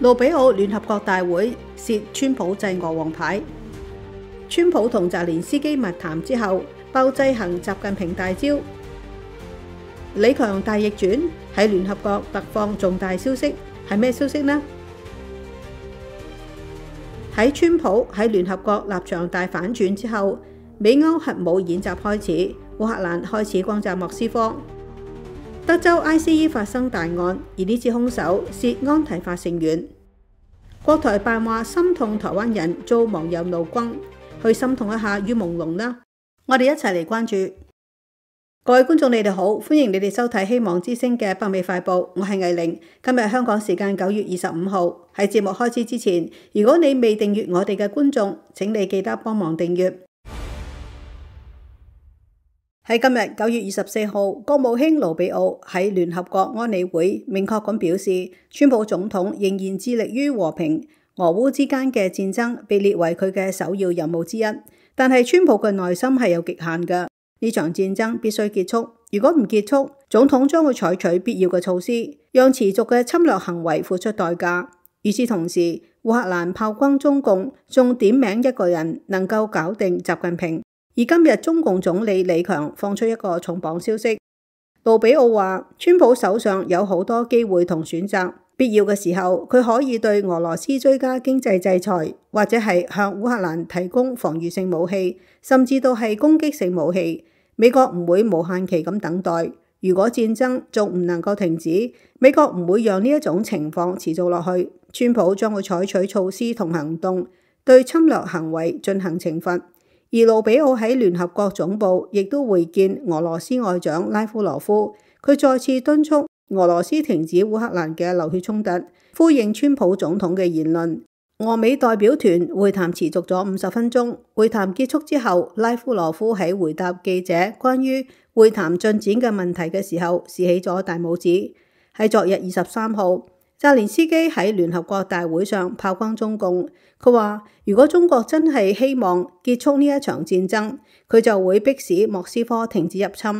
盧比奧聯合國大會涉川普制俄王牌。川普同澤連斯基密談之後，爆制衡習近平大招。李強大逆轉，喺聯合國突放重大消息，係咩消息呢？喺川普喺聯合國立場大反轉之後，美歐核武演習開始，烏克蘭開始轟炸莫斯科。德州 ICE 發生大案，而呢次兇手涉安提法成員。國台辦話心痛台灣人遭網友怒轟，去心痛一下於朦朧啦。我哋一齊嚟關注。各位觀眾，你哋好，歡迎你哋收睇希望之聲嘅北美快報，我係藝玲。今日香港時間9月25號。喺節目開始之前，如果你未訂閱我哋嘅觀眾，請你記得幫忙訂閱。喺今日9月24號，國務卿盧比奧喺聯合國安理會明確咁表示，川普總統仍然致力於和平，俄烏之間嘅戰爭被列為佢嘅首要任務之一。但係川普嘅耐心係有極限嘅，呢場戰爭必須結束。如果唔結束，總統將會採取必要嘅措施，讓持續嘅侵略行為付出代價。與此同時，烏克蘭炮轟中共，仲點名一個人能夠搞定習近平。而今日中共總理李強放出一個重磅消息，盧比奧話川普手上有好多機會同選擇，必要嘅時候佢可以對俄羅斯追加經濟制裁，或者係向烏克蘭提供防禦性武器，甚至到係攻擊性武器。美國唔會無限期咁等待，如果戰爭仲唔能夠停止，美國唔會讓呢一種情況持續落去。川普將會採取措施同行動，對侵略行為進行懲罰。而盧比奧喺聯合國總部亦都會見俄羅斯外長拉夫羅夫，佢再次敦促俄羅斯停止烏克蘭嘅流血衝突，呼應川普總統嘅言論。俄美代表團會談持續咗50分鐘，會談結束之後，拉夫羅夫喺回答記者關於會談進展嘅問題嘅時候，豎起咗大拇指。喺昨日23號，澤連斯基喺聯合國大會上炮轟中共，佢話如果中國真係希望結束呢一場戰爭，佢就會迫使莫斯科停止入侵。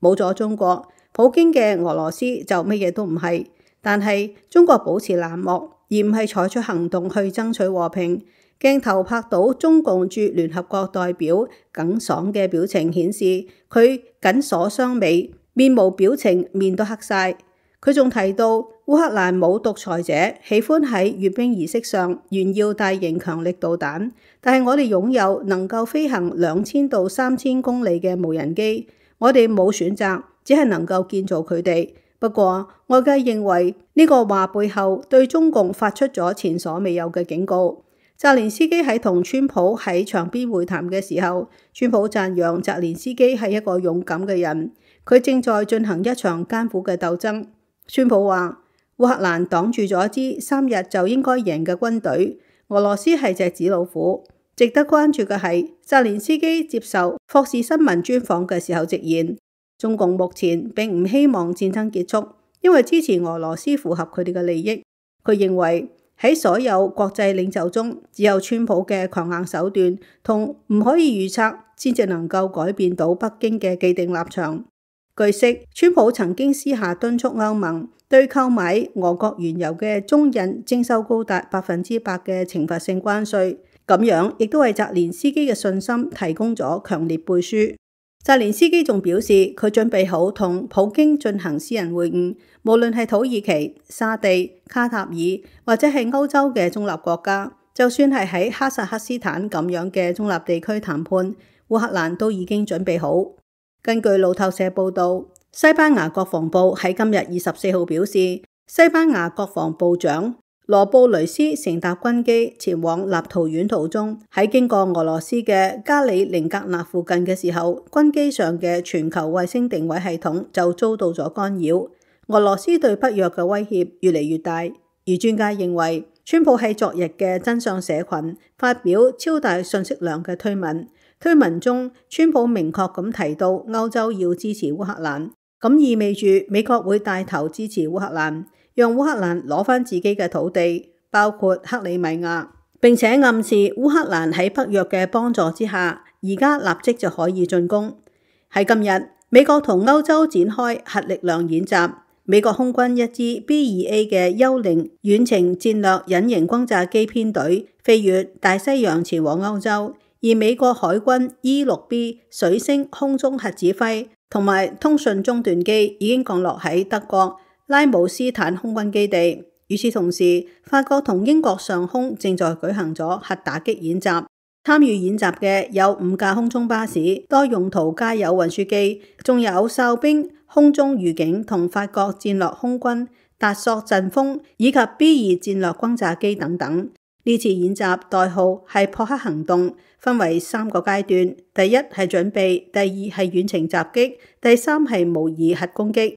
冇咗中國，普京嘅俄羅斯就乜嘢都唔係。但係中國保持冷漠，而唔係採取行動去爭取和平。鏡頭拍到中共駐聯合國代表耿爽嘅表情，顯示佢緊鎖雙眉，面無表情，面都黑晒。佢仲提到烏克蘭冇獨裁者，喜歡喺閱兵儀式上炫耀大型強力導彈，但係我哋擁有能夠飛行2000到3000公里嘅無人機，我哋冇選擇，只係能夠建造佢哋。不過外界認為呢個話背後對中共發出咗前所未有嘅警告。澤連斯基喺同川普喺場邊會談嘅時候，川普讚揚澤連斯基係一個勇敢嘅人，佢正在進行一場艱苦嘅鬥爭。川普話烏克蘭擋住咗一支3日就應該贏嘅軍隊，俄羅斯係隻紙老虎。值得關注嘅係澤連斯基接受霍士新聞專訪嘅時候直言，中共目前並唔希望戰爭結束，因為支持俄羅斯符合佢哋嘅利益。佢認為喺所有國際領袖中，只有川普嘅強硬手段同唔可以預測，先至能夠改變到北京嘅既定立場。據悉，川普曾經私下敦促歐盟對購買俄國原油嘅中印徵收高達100%嘅懲罰性關稅，咁樣亦都為澤連斯基嘅信心提供咗強烈背書。澤連斯基仲表示，佢準備好同普京進行私人會晤，無論係土耳其、沙地、卡塔爾或者係歐洲嘅中立國家，就算係喺哈薩克斯坦咁樣嘅中立地區談判，烏克蘭都已經準備好。根據路透社報道，西班牙國防部喺今日24號表示，西班牙國防部長羅布雷斯乘搭軍機前往立陶宛途中，喺經過俄羅斯嘅加里寧格納附近嘅時候，軍機上嘅全球衛星定位系統就遭到咗干擾。俄羅斯對北約嘅威脅越嚟越大，而專家認為，川普喺昨日嘅真相社群發表超大信息量嘅推文。推文中，川普明確咁提到歐洲要支持烏克蘭，咁意味住美國會帶頭支持烏克蘭，讓烏克蘭攞返自己嘅土地，包括克里米亞，並且暗示烏克蘭喺北約嘅幫助之下，而家立即就可以進攻。喺今日，美國同歐洲展開核力量演習，美國空軍一支 B-2A 嘅幽靈遠程戰略隱形轟炸機編隊飛越大西洋前往歐洲，而美國海軍 E-6B 水星空中核指揮同埋通訊中斷機已經降落喺德國拉姆斯坦空軍基地。與此同時，法國同英國上空正在舉行咗核打擊演習。參與演習嘅有5架空中巴士、多用途加油運輸機，仲有哨兵、空中預警同法國戰略空軍達索陣風以及 B-2 戰略轟炸機等等。呢次演習代號係撲克行動，分為3個階段。第一係準備，第二係遠程襲擊，第三係模擬核攻擊。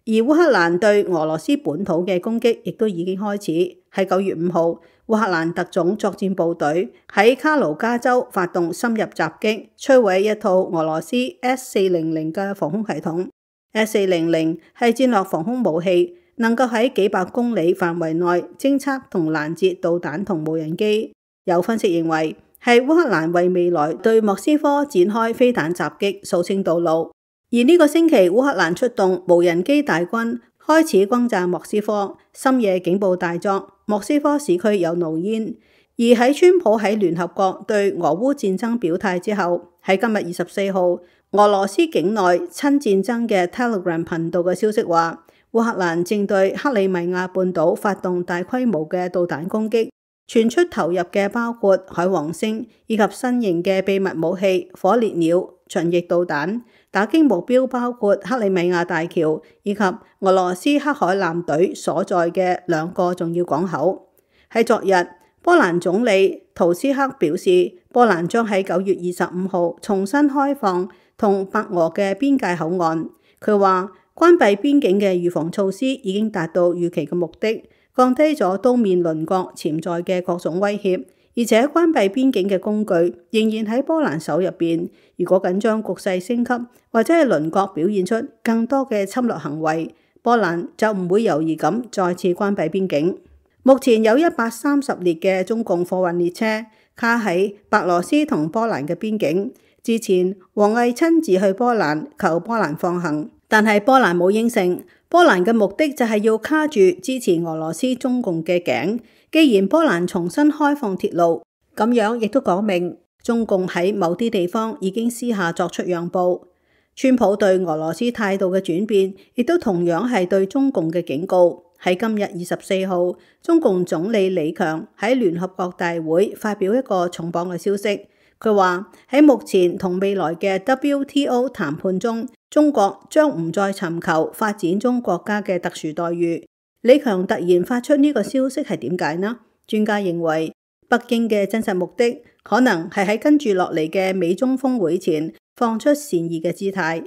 而烏克蘭對俄羅斯本土嘅攻擊亦都已經開始。喺9月5號，烏克蘭特種作戰部隊喺卡盧加州發動深入襲擊，摧毀一套俄羅斯 S-400嘅防空系統。S-400係戰略防空武器，能夠喺幾百公里範圍內偵測同攔截導彈同無人機。有分析認為，係烏克蘭為未來對莫斯科展開飛彈襲擊掃清道路。而呢個星期，烏克蘭出動無人機大軍開始轟炸莫斯科，深夜警報大作，莫斯科市區有濃煙。而喺川普喺聯合國對俄烏戰爭表態之後，喺今日24號，俄羅斯境內親戰爭嘅 Telegram 頻道嘅消息話，烏克蘭正對克里米亞半島發動大規模嘅導彈攻擊，傳出投入嘅包括海王星以及新型嘅秘密武器火烈鳥巡弋導彈。打擊目標包括克里米亞大橋以及俄羅斯黑海艦隊所在嘅2個重要港口。喺昨日，波蘭總理圖斯克表示，波蘭將喺9月25號重新開放同白俄嘅邊界口岸。佢話，關閉邊境嘅預防措施已經達到預期嘅目的，降低咗東面鄰國潛在嘅各種威脅。而且關閉邊境嘅工具仍然喺波蘭手入邊。如果緊張局勢升級，或者係鄰國表現出更多嘅侵略行為，波蘭就唔會猶豫咁再次關閉邊境。目前有130列嘅中共貨運列車卡喺白羅斯同波蘭嘅邊境。之前王毅親自去波蘭求波蘭放行，但係波蘭冇應承。波蘭嘅目的就係要卡住支持俄羅斯中共嘅頸。既然波蘭重新開放鐵路，咁樣亦都講明中共喺某啲地方已經私下作出讓步。川普對俄羅斯態度嘅轉變，亦都同樣係對中共嘅警告。喺今日24號，中共總理李強喺聯合國大會發表一個重磅嘅消息。佢話喺目前同未來嘅 WTO 談判中，中國將唔再尋求發展中國家嘅特殊待遇。李強突然發出呢個消息係點解呢？專家認為，北京嘅真實目的可能係喺跟住落嚟嘅美中峰會前放出善意嘅姿態。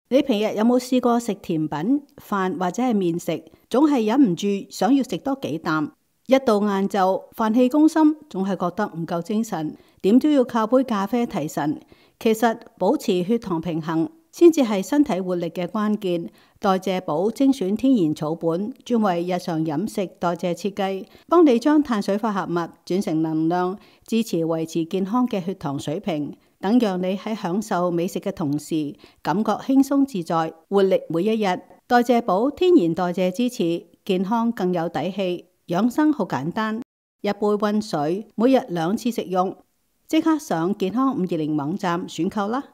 你平日有冇試過食甜品、飯或者係麵食，總係忍唔住想要食多幾啖？一到晏晝，飯氣攻心，總係覺得唔夠精神，點都要靠杯咖啡提神。其實保持血糖平衡先至係身體活力嘅關鍵。代謝寶精選天然草本，專為日常飲食代謝設計，幫你將碳水化合物轉成能量，支持維持健康嘅血糖水平，等讓你喺享受美食嘅同時，感覺輕鬆自在，活力每一日。代謝寶天然代謝支持，健康更有底氣。養生好簡單，一杯溫水，每日2次食用。即刻上健康520網站選購啦！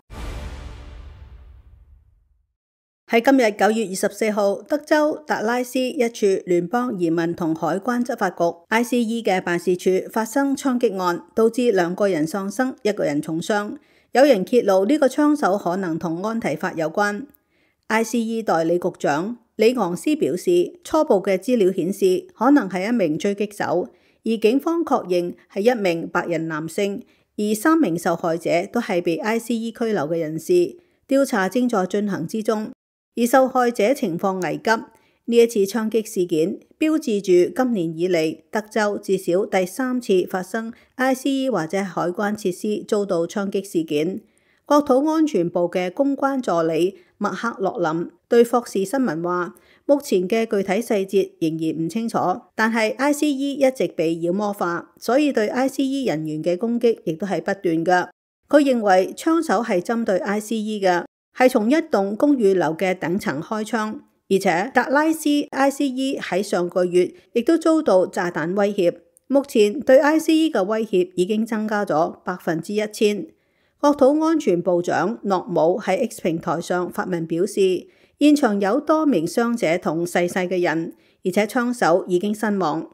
喺今日9月24號，德州達拉斯一處聯邦移民同海關執法局 ICE 嘅辦事處發生槍擊案，導致2個人喪生，1個人重傷。有人揭露呢個槍手可能同安提法有關。ICE 代理局長李昂斯表示，初步嘅資料顯示可能係一名狙擊手，而警方確認係一名白人男性，而3名受害者都係被 ICE 拘留嘅人士，調查正在進行之中。而受害者情況危急。呢一次槍擊事件標誌住今年以嚟德州至少第3次發生 ICE 或者海關設施遭到槍擊事件。國土安全部嘅公關助理麥克洛林對霍士新聞話，目前嘅具體細節仍然唔清楚，但係 ICE 一直被妖魔化，所以對 ICE 人員嘅攻擊亦都係不斷㗎。佢認為槍手係針對 ICE 嘅，係從一棟公寓樓嘅頂層開槍，而且達拉斯 ICE 喺上個月亦都遭到炸彈威脅。目前對 ICE 嘅威脅已經增加咗1000%。國土安全部長諾姆喺 X 平台上發文表示，現場有多名傷者同逝世嘅人，而且槍手已經身亡。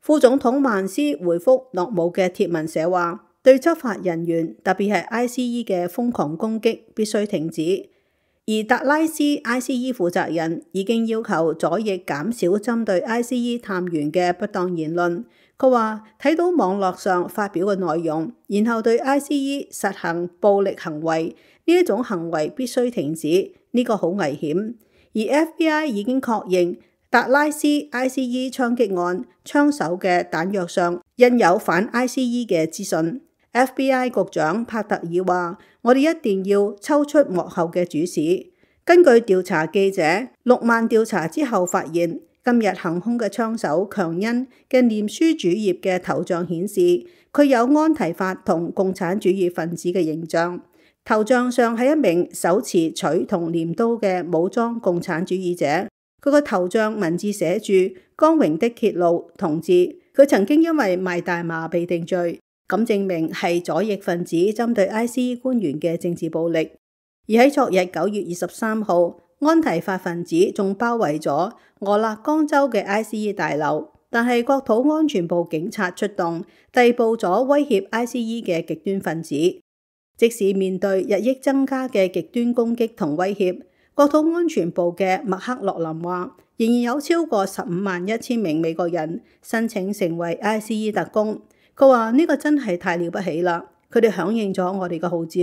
副總統曼斯回覆諾姆嘅貼文寫話，對執法人員，特別係 ICE 嘅瘋狂攻擊必須停止。而達拉斯 ICE 負責人已經要求左翼減少針對 ICE 探員嘅不當言論。佢話睇到網絡上發表嘅內容，然後對 ICE 實行暴力行為，呢一種行為必須停止，呢個好危險。而 FBI 已經確認達拉斯 ICE 槍擊案槍手嘅彈藥上印有反 ICE 嘅資訊。FBI 局長帕特爾話：我哋一定要抽出幕後嘅主使。根據調查記者6萬調查之後發現，今日行兇嘅槍手強恩嘅臉書主頁嘅頭像顯示，佢有安提法同共產主義分子嘅形象。頭像上係一名手持錘同鐮刀嘅武裝共產主義者。佢個頭像文字寫住光榮的揭露同志。佢曾經因為賣大麻被定罪。咁證明係左翼分子針對 ICE 官員嘅政治暴力。而喺昨日9月23號，安提法分子仲包圍咗俄勒岡州嘅 ICE 大樓，但係國土安全部警察出動，逮捕咗威脅 ICE 嘅極端分子。即使面對日益增加嘅極端攻擊同威脅，國土安全部嘅麥克洛林話，仍然有超過15,100名美國人申請成為 ICE 特工。佢話呢個真係太了不起啦！佢哋響應咗我哋嘅號召，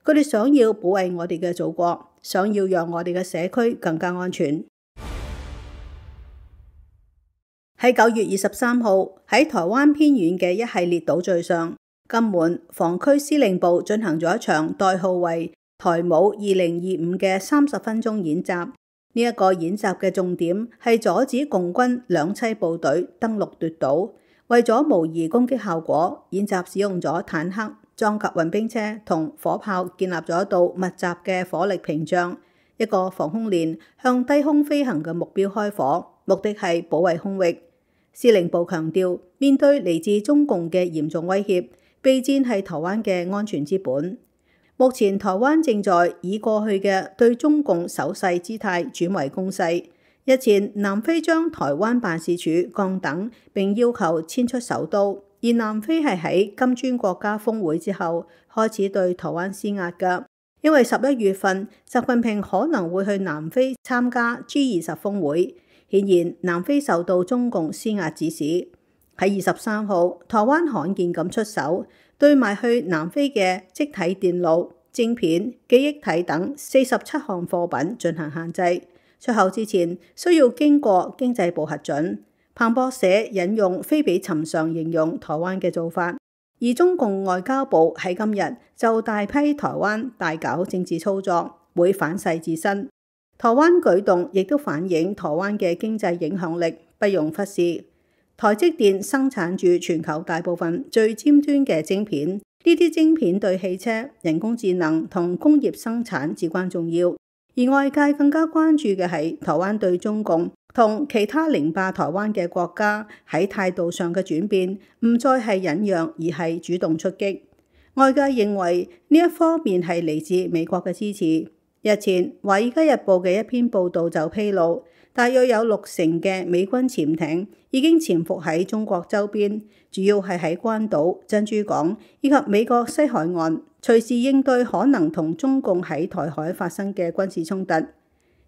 佢哋想要保衛我哋嘅祖國，想要讓我哋嘅社區更加安全。喺9月23號，喺台灣偏遠嘅一系列島嶼上，金門防區司令部進行咗一場代號為台舞2025嘅30分鐘演習。呢一個演習嘅重點係阻止共軍兩棲部隊登陸奪島。為咗模擬攻擊效果，演習使用咗坦克、裝甲運兵車同火炮，建立咗一道密集嘅火力屏障，一個防空連向低空飛行嘅目標開火，目的係保衛空域。司令部強調，面對嚟自中共嘅嚴重威脅，備戰係台灣嘅安全之本。目前台灣正在以過去嘅對中共守勢姿態轉為攻勢。日前，南非將台灣辦事處降等，並要求遷出首都。而南非係喺金磚國家峰會之後開始對台灣施壓㗎，因為11月份習近平可能會去南非參加 G20 峰會。顯然，南非受到中共施壓指使。喺23號，台灣罕見咁出手，對賣去南非嘅積體電路、晶片、記憶體等47項貨品進行限制。出口之前需要經過經濟部核准。彭博社引用非比尋常形容台灣嘅做法，而中共外交部喺今日就大批台灣大搞政治操作，會反噬自身。台灣舉動亦都反映台灣嘅經濟影響力，不容忽視。台積電生產住全球大部分最尖端嘅晶片，呢啲晶片對汽車、人工智能同工業生產至關重要。而外界更加關注嘅係台灣對中共同其他凌霸台灣嘅國家喺態度上嘅轉變，唔再係忍讓，而係主動出擊。外界認為呢一方面係嚟自美國嘅支持。日前《華爾街日報》嘅一篇報導就披露，大約有60%嘅美軍潛艇已經潛伏喺中國周邊，主要係喺關島、珍珠港以及美國西海岸，隨時應對可能同中共喺台海發生嘅軍事衝突。而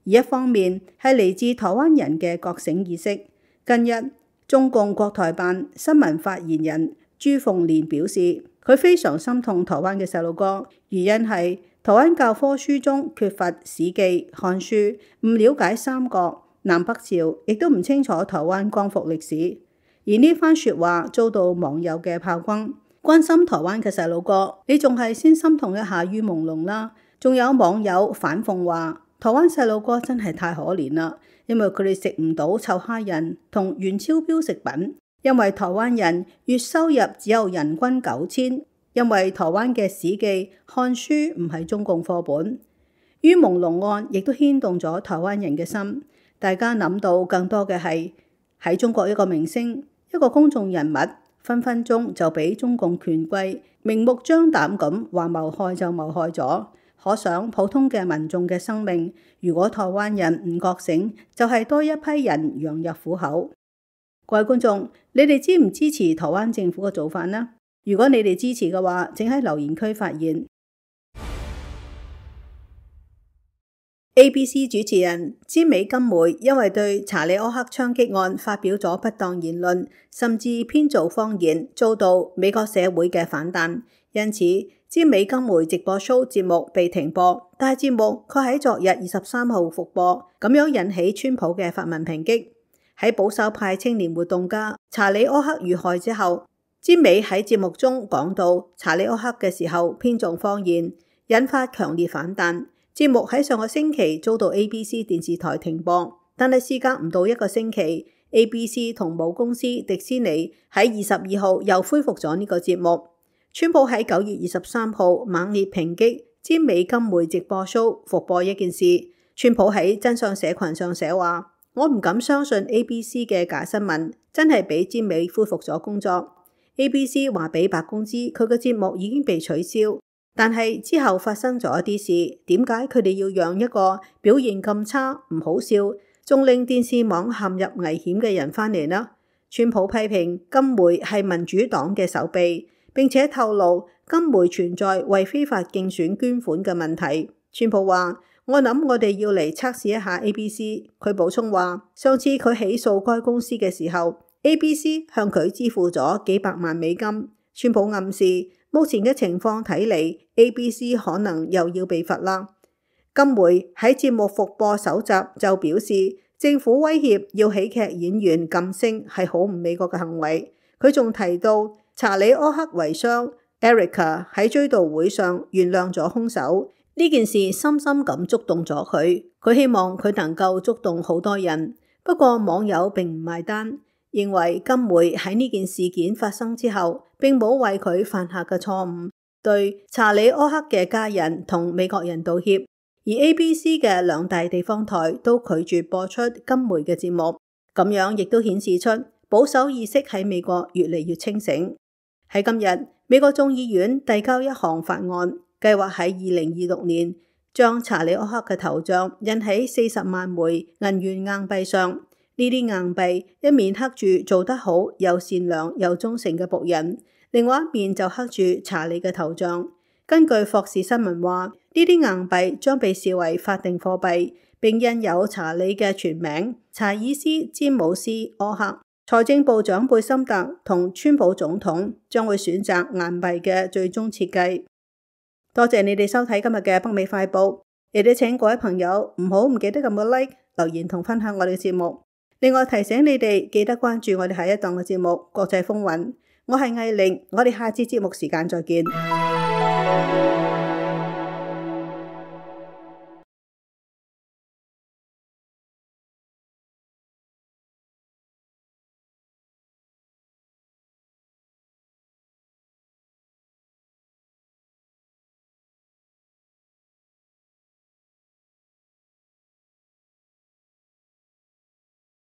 一方面係嚟自台灣人嘅覺醒意識。近日，中共國台辦新聞發言人朱鳳蓮表示，佢非常心痛台灣嘅細路哥，原因係台灣教科書中缺乏史記、漢書，唔了解三國、南北朝，亦都唔清楚台灣光復歷史。而呢番説話遭到網友嘅炮轟。關心台灣嘅細路哥，你仲係先心痛一下於朦朧啦。仲有網友反諷話，台灣細路哥真係太可憐啦，因為佢哋食唔到臭蝦仁同原超標食品，因為台灣人月收入只有人均9000，因為台灣嘅史記、漢書唔係中共課本。於朦朧案亦都牽動咗台灣人嘅心。大家諗到更多嘅係喺中國一個明星、一個公眾人物，分分鐘就俾中共權貴明目張膽咁話謀害就謀害咗。可想普通嘅民眾嘅生命，如果台灣人唔覺醒，就係多一批人羊入虎口。各位觀眾，你哋支唔支持台灣政府嘅做法呢？如果你哋支持嘅話，請喺留言區發言。ABC 主持人詹美金梅因為對查理柯克槍擊案發表咗不當言論，甚至編造謊言，遭到美國社會嘅反彈，因此詹美金梅直播 show 節目被停播，但係節目卻喺昨日23號復播，咁樣引起川普嘅發文抨擊。喺保守派青年活動家查理柯克遇害之後，詹美喺節目中講到查理柯克嘅時候編造謊言，引發強烈反彈。節目喺上個星期遭到 ABC 電視台停播，但係事隔唔到一個星期， ABC 同母公司迪士尼喺22號又恢復咗呢個節目。川普喺9月23號猛烈抨擊詹美金梅直播 show 復播一件事。川普喺真相社群上寫話：我唔敢相信 ABC 嘅假新聞真係俾詹美恢復咗工作。ABC 話俾白宮知佢嘅節目已經被取消。但係之後發生咗一啲事，點解佢哋要讓一個表現咁差、唔好笑，仲令電視網陷入危險嘅人返嚟呢？川普批評金梅係民主黨嘅手臂，並且透露金梅存在為非法競選捐款嘅問題。川普話：我諗我哋要嚟測試一下 ABC。佢補充話：上次佢起訴該公司嘅時候 ，ABC 向佢支付咗幾百萬美金。川普暗示，目前嘅情況睇嚟 ，ABC 可能又要被罰啦。金梅喺節目復播首集就表示，政府威脅要喜劇演員噤聲係好唔美國嘅行為。佢仲提到查理柯克遺孀 Erica 喺追悼會上原諒咗兇手，呢件事深深咁觸動咗佢。佢希望佢能夠觸動好多人，不過網友並唔埋單。認為金梅喺呢件事件發生之後，並冇為佢犯下嘅錯誤對查理柯克嘅家人同美國人道歉，而 ABC 嘅2大地方台都拒絕播出金梅嘅節目，咁樣亦都顯示出保守意識喺美國越嚟越清醒。喺今日，美國眾議院遞交一項法案，計劃喺2026年將查理柯克嘅頭像印喺40萬枚銀元硬幣上。呢啲硬幣一面刻住做得好又善良又忠誠嘅僕人，另外一面就刻住查理嘅頭像。根據霍士新聞話，呢啲硬幣將被視為法定貨幣，並印有查理嘅全名查爾斯·詹姆斯·柯克。財政部長貝森特同川普總統將會選擇硬幣嘅最終設計。多謝你哋收睇今日嘅北美快報，亦都請各位朋友唔記得撳個 like、留言同分享我哋嘅節目。另外提醒你哋記得關注我哋下一檔嘅節目《國際風雲》。我係艾玲，我哋下次節目時間再見。